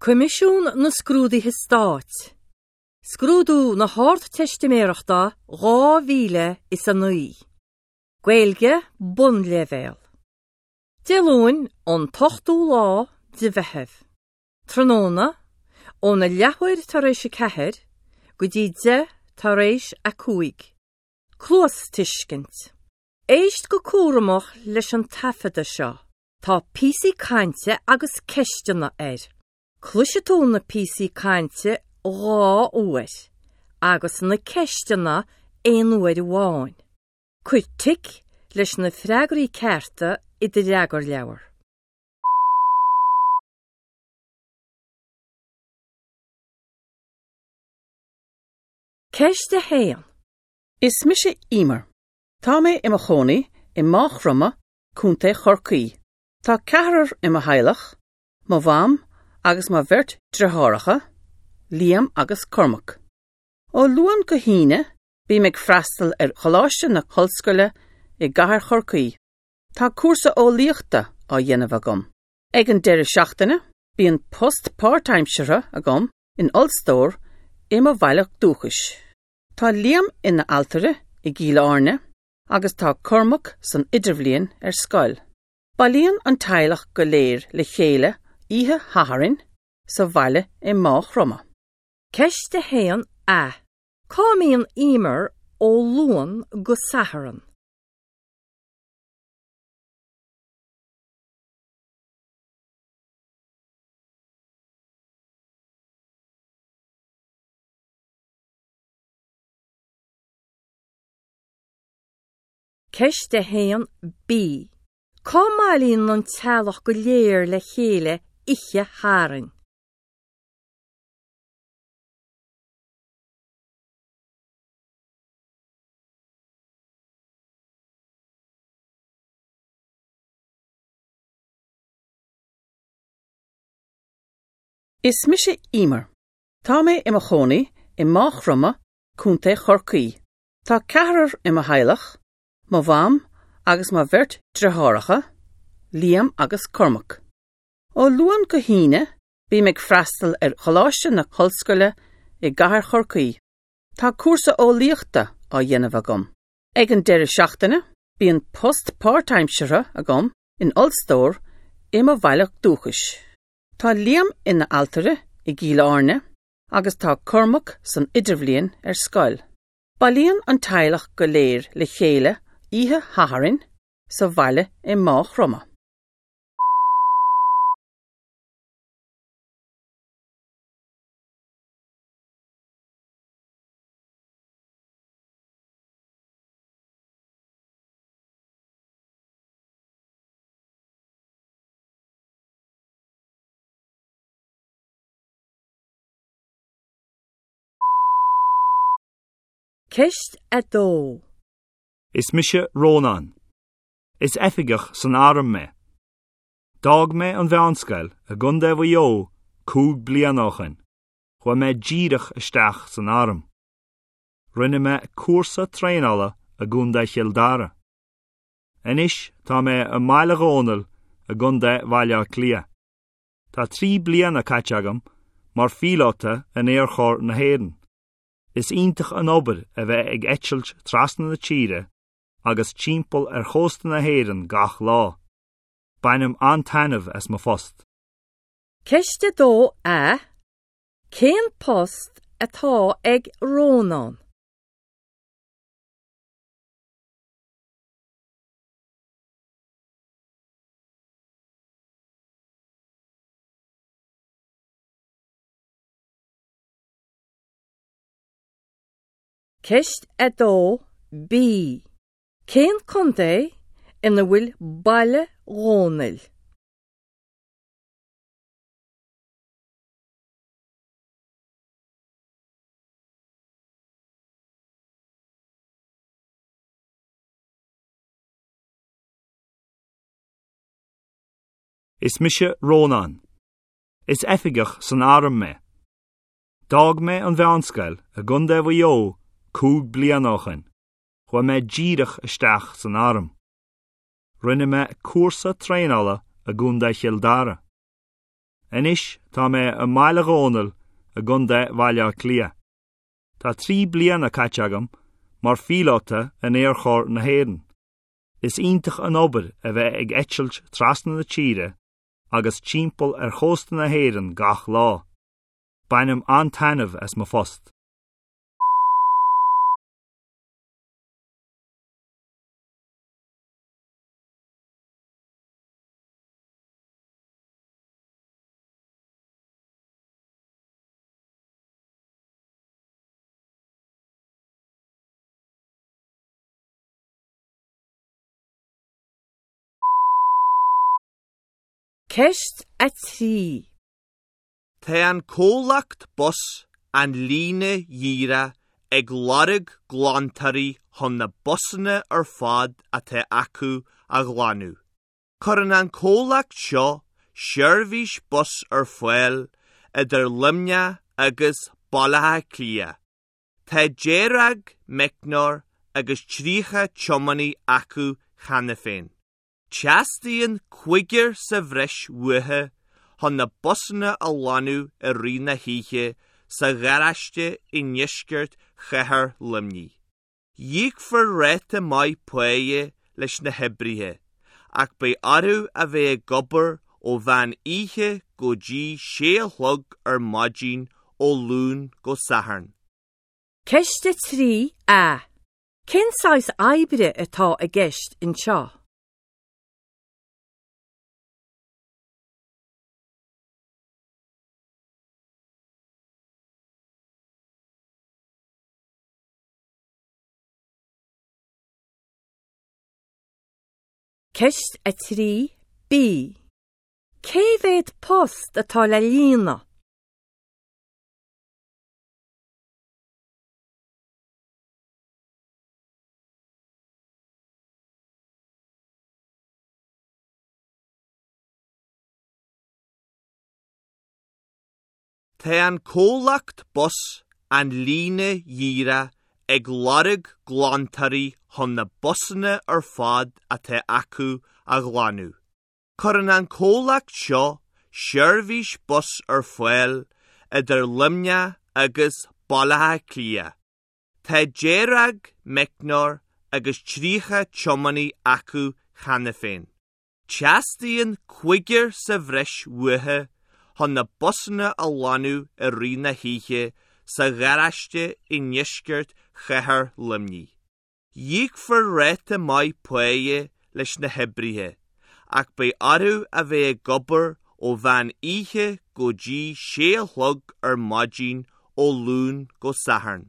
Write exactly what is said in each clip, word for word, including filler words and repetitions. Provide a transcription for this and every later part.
Coimisiún na Scrúduithe Stáit. Scrúdú na hArdteistiméireachta dhá mhíle is a naoi. Gaeilge Bunleibhéal. Dé Luain an t-ochtú lá de Mheitheamh. Tráthnóna óna leathuair tar éis a ceathair go dtí deich tar éis a cúig. Cluastuiscint. Éist go cúramach leis an taifeadadh seo. Tá píosaí cainte agus ceisteanna air. Cloisfidh tú na píosaí cainte dhá uair agus na ceisteanna aon uair amháin. Cuir tic leis na freagraí cearta i do fhreagarleabhar. Ceist a haon. Is mise Emer. Tá mé i mo chónaí i Maigh Chromtha, Contae Chorcaí. Tá ceathrar i mo theaghlach, mo mham agus mo bheirt deartháireacha, Liam agus Cormac. Ó Luan go hAoine, bím ag freastal ar Choláiste na hOllscoile i gCathair Chorcaí. Tá cúrsa eolaíochta á dhéanamh agam. Ag an deireadh seachtaine, bíonn post páirtaimseartha agam in ollstór i mo bhaile dúchais. Tá Liam ina ailtire i gCill Airne agus tá Cormac san idirbhliain ar scoil. Bailíonn an teaghlach go léir le chéile oíche Shathairn sa bhaile i Maigh Chromtha. Ceist a haon A. Cá mbíonn Emer ó Luan go Satharn? Ceist a haon B. Cá mbailíonn an teaghlach go léir le chéile oíche Shathairn? Is mise Emer. Tá mé i mo chónaí i Maigh Chromtha, Contae Chorcaí. Tá ceathrar i mo theaghlach, mo mham agus mo bheirt deartháireacha, Liam agus Cormac. Ó Luan go hAoine, bím ag freastal ar Choláiste na hOllscoile i gCathair Chorcaí. Tá cúrsa eolaíochta á dhéanamh agam. Ag an deireadh seachtaine, bíonn post páirtaimseartha agam in ollstór i mo bhaile dúchais. Tá Liam ina ailtire i gCill Airne agus tá Cormac san idirbhliain ar scoil. Bailíonn an teaghlach go léir le chéile oíche Shathairn sa bhaile i Maigh Chromtha. Ceist a dó. Is mise Rónán. Is oifigeach san arm mé. D'fhág mé an mheánscoil i gContae Mhaigh Eo cúig bliana ó shin. Chuaigh mé díreach isteach san arm. Rinne mé cúrsa traenála i gContae Chill Dara. Anois tá mé i mBaile Dhónaill i gContae Bhaile Átha Cliath. Tá trí bliana caite agam mar phíolóta in Aerchór na hÉireann. Is iontach an obair a bheith ag eitilt trasna na tíre agus timpeall ar chósta na hÉireann gach lá. Bainim an-taitneamh as mo phost. Ceist a dó A. Cén post atá ag Rónán? Ceist a dó B. Cén contae ina bhfuil Baile Dhónaill? Is mise Rónán. Is oifigeach san arm mé. D'fhág mé an mheánscoil i gContae Mhaigh Eo cúig bliana ó shin. Chuaigh mé díreach isteach san arm. Rinne mé cúrsa traenála i gContae Chill Dara. Anois tá mé i mBaile Dhónaill i gContae Bhaile Átha Cliath. Tá trí bliana caite agam mar phíolóta in Aerchór na hÉireann. Is iontach an obair a bheith ag eitilt trasna na tíre agus timpeall ar chósta na hÉireann gach lá. Bainim an-taitneamh as mo phost. Ceist a trí. Tá an comhlacht bus an líne dhíreach ag lorg glantóirí chun na busanna ar fad atá acu a ghlanadh. Cuireann an comhlacht seo seirbhís bus ar fáil idir Luimneach agus Baile Átha Cliath. Tá dáréag meicneoir agus tríocha tiománaí acu cheana féin. Teastaíonn cúigear sa bhreis uathu chun na busanna a ghlanadh i rith na hoíche sa gharáiste i ndeisceart chathair Luimnigh. Íocfar ráta maith páighe leis na hoibrithe, ach beidh orthu a bheith ag obair ó mheán oíche go dtí sé a chlog ar maidin ó Luan go Satharn. Ceist a trí A. Cén saghas oibre atá i gceist anseo? Ceist a trí B. Cé mhéad post atá le líonadh? Tá an comhlacht bus an líne dhíreach ag lorg glantóirí chun na busanna ar fad atá acu a ghlanadh. Cuireann an comhlacht seo seirbhís bus ar fáil idir Luimneach agus Baile Átha Cliath. Tá dáréag meicneoir agus tríocha tiománaí acu cheana féin. Teastaíonn cúigear sa bhreis uathu chun na busanna a ghlanadh i rith na hoíche sa gharáiste i ndeisceart chathair Luimnigh. Íocfar ráta maith páighe leis na hoibrithe, ach beidh orthu a bheith ag obair ó mheán oíche go dtí sé a chlog ar maidin ó Luan go Satharn.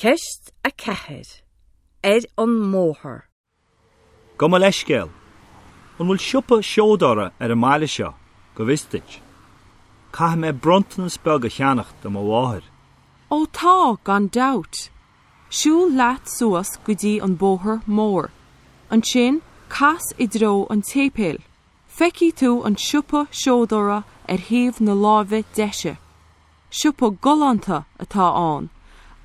Ceist a ceathair. Ar an mbóthar. Gabh mo leithscéal. An bhfuil siopa seodóra ar an mbaile seo, go bhfios duit. Caithfidh mé bronntanas beag a cheannach do mo mháthair. Ó tá gan dabht. Siúil leat suas go dtí an bóthar mór. Ansin cas i dtreo an tséipéil. Feicfidh tú an siopa seodóra ar thaobh na láimhe deise. Siopa galánta atá ann,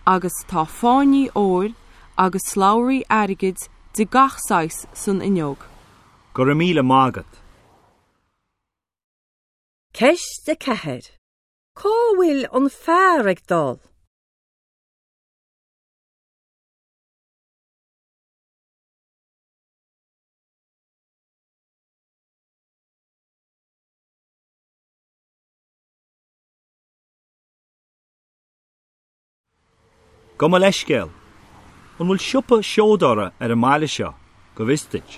agus tá fáinní óir agus slabhraí airgid de gach saghas san fhuinneog. Go raibh míle maith agat. Ceist a ceathair. Cá bhfuil an fear ag dul? Gabh mo leithscéal. An bhfuil siopa seodóra ar an mbaile seo, go bhfios duit.